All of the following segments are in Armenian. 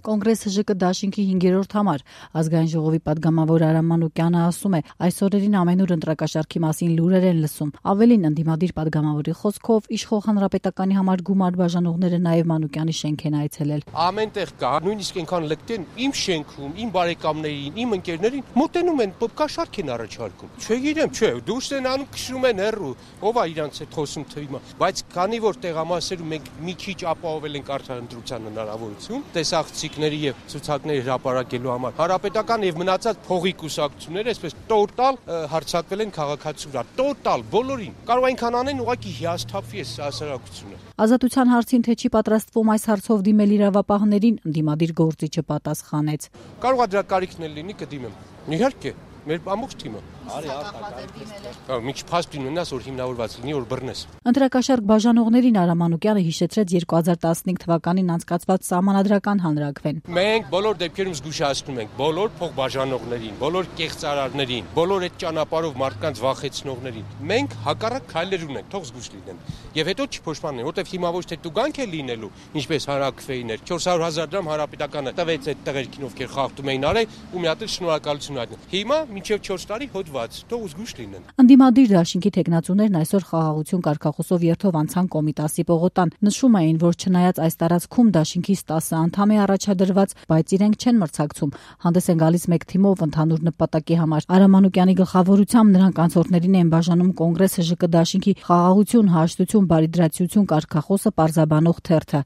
Կոնգրես ՀԺԿ դաշինքի 5-րդ համար ազգային ժողովի պատգամավոր Արամ Մանուկյանը ասում է, այս օրերին ամենուր ընտրակաշառքի մասին լուրեր են լսում։ Ավելին, ընդդիմադիր պատգամավորի խոսքով, իշխող հանրապետականի համար գումար բաժանողները նաև Մանուկյանի շենք են այցելել։ Ամենտեղ կա, նույնիսկ այնքան լկտեն իմ շենքում, իմ բարեկամներին, իմ ընկերներին մոտենում են, կաշառք են առաջարկում։ Չգիտեմ, դուրս են անում, քշում են հեռու, ով է իրանց հետ խոսում թվիմա, բայց քանի որ տեղամասերում մենք մի քիչ ապահովել ենք արդարընտրության հնարավորություն, տեսախցիկների եւ ցուցակների հրապարակելու համար հանրապետական եւ մնացած փողի կուսակցությունները այսպես տոտալ հարձակվել են քաղաքացու վրա, տոտալ բոլորին։ Կարող այնքան անեն, ուղղակի հիասթափվի այս հասարակությունը։ Ազատության հարցին թե չի պատրաստվում այս հարցով դիմել իրավապահներին, ընդդիմադիր գործիչը պատասխանեց։ Կարող է դրա կարիքն էլ լինի, կդիմեմ։ Իհարկե, մեր ամբողջ թիմը։ Մի քիչ փաստ ունենաս, որ հիմնավորված լինի, որ բռնես։ Ընտրակաշառք բաժանողներին Արամ Մանուկյանը հիշեցրեց 2015 թվականին անցկացված սահմանադրական հանրաքվեն։ Մենք բոլոր դեպքերում զգուշացնում ենք բոլոր փոխբաժանողներին, բոլոր կեղծարարներին, բոլոր այդ ճանապարհով մարդկանց վախեցնողներին։ Մենք հակառակ քայլեր ունենք, թող զգուշ լինեն։ Եվ հետո չփոշմանեն, որտեվ հիմա ոչ թե տուգանք է լինելու, ինչպես հանրաքվեին էր, 400,000 դրամ հանրապետականը տվեց այդ տղերքին, ովքեր խախտում էին արել, ու մի հատ էլ շնորհակալություն հայտնել։ Հիմա մինչև 4 տարի հոդված, թող զգուշ լինեն։ Ընդդիմադիր դաշինքի թեկնածուներն այսօր խաղաղություն կարգախոսով երթով անցան Կոմիտասի պողոտան։ Նշում էին, որ չնայած այս տարածքում դաշինքից 10 անդամ է առաջադրված, բայց իրենք չեն մրցակցում, հանդես են գալիս մեկ թիմով ընդհանուր նպատակի համար։ Արամ Մանուկյանի գլխավորությամբ նրանք անցորդներին են բաժանում Կոնգրես ՀԺԿ դաշինքի խաղաղություն, հաշտություն, բարիդրացիություն կարգախոսը պարզաբանող թերթը։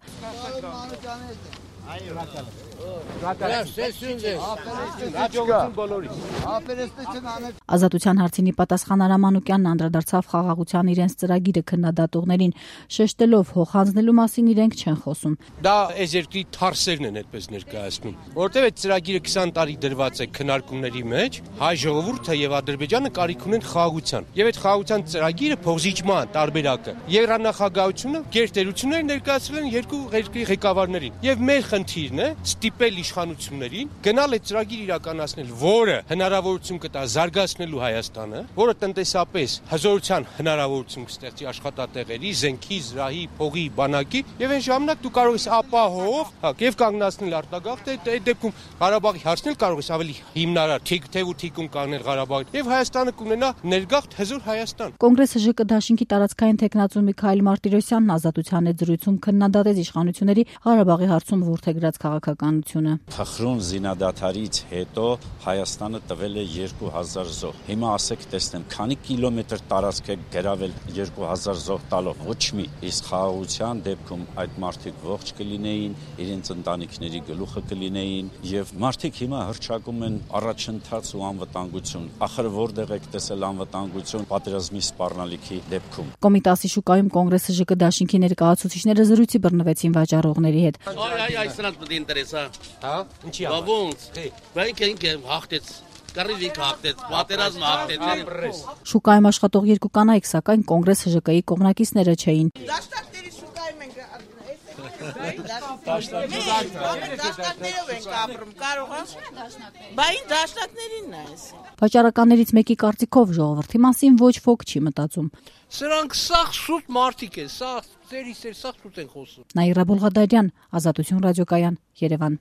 Ազատության հարցինի պատասխան Արամ Մանուկյանն անդրադարձավ խաղաղության իրենց ծրագիրը քննադատողներին, շեշտելով հոխանձնելու մասին իրենք չեն խոսում։ Դա այս երկրի թարսերն են այդպես ներկայացնում, որովհետև այդ ծրագիրը 20 տարի դրված է քննարկումների մեջ, հայ ժողովուրդը եւ Ադրբեջանը կարիք ունեն խաղաղության։ Եվ այդ խաղաղության ծրագիրը փոխզիջման տարբերակը Եվրանախագահությունը գերտերություններ ներկայացրել են երկու երկրի ղեկավարներին։ Եվ մեր խնդիրն է ստիպել իշխանություններին գնալ այդ ծրագիր իրականացնել, որը հնարավորություն կտա զարգացնելու Հայաստանը, որը տնտեսապես հզորության հնարավորություն կստեղծի աշխատատեղերի, զենքի, զրահի, փողի, բանակի, եւ այն ժամանակ դու կարող ես ապահով եւ կանգնացնել արտագաղթը, այդ դեպքում Ղարաբաղի հարցն էլ կարող ես ավելի հիմնարար թեւ ու թիկուն կանգնել Ղարաբաղի եւ Հայաստանը կունենա ներգաղթ հզոր Հայաստան։ Կոնգրես ՀԺԿ դաշինքի տարածքային թեկնածու Միքայել Մարտիրոսյանն Ազատության հետ զրույցում քննադատեց իշխանությունների Ղարաբաղի հարցում որդեգրած քաղաքականությունը։ Փխրուն զինադադարից հետո Հայաստանը տվել է 2000 զոհ։ Հիմա ասեք տեսնեմ, քանի կիլոմետր տարածք է գրավել 2000 զոհ տալով, ոչ մի։ Իսկ խաղաղության դեպքում այդ մարդիկ ողջ կլինեին, իրենց ընտանիքների գլուխը կլինեին եւ մարդիկ հիմա հռչակում են առաջընթաց ու անվտանգություն։ Ախր որտեղ եք տեսել անվտանգություն պատերազմի սպառնալիքի դեպքում։ Կոմիտասի շուկայում Կոնգրես ՀԺԿ դաշինքի ներկայացուցիչները զրույցի բռնվեցին վաճառողների հետ։ Այս դու ինտերեսա։ Հա, ինչի՞։ Ոնց։ Բայց ինքը հաղթեց։ Կարիվիկ հաղթեց, պատերազմը հաղթեց։ Շուկայում աշխատող երկու կանայք, սակայն Կոնգրես ՀԺԿ-ի կողմնակիցները չէին։ Դաշտակների շուկայում ենք դաշտակներով ենք ապրում, կարող է։ Բայց դաշտակներինն է այս։ Վաճառականներից մեկի կարծիքով ժողովրդի մասին ոչ ոք չի մտածում։ Սրանք սաղ շուտ մարդիկ են, սաղ ծերից սաղ շուտ են խոսում։ Նաիրա Բոլղադարյան, Ազատություն ռադիոկայան, Երևան։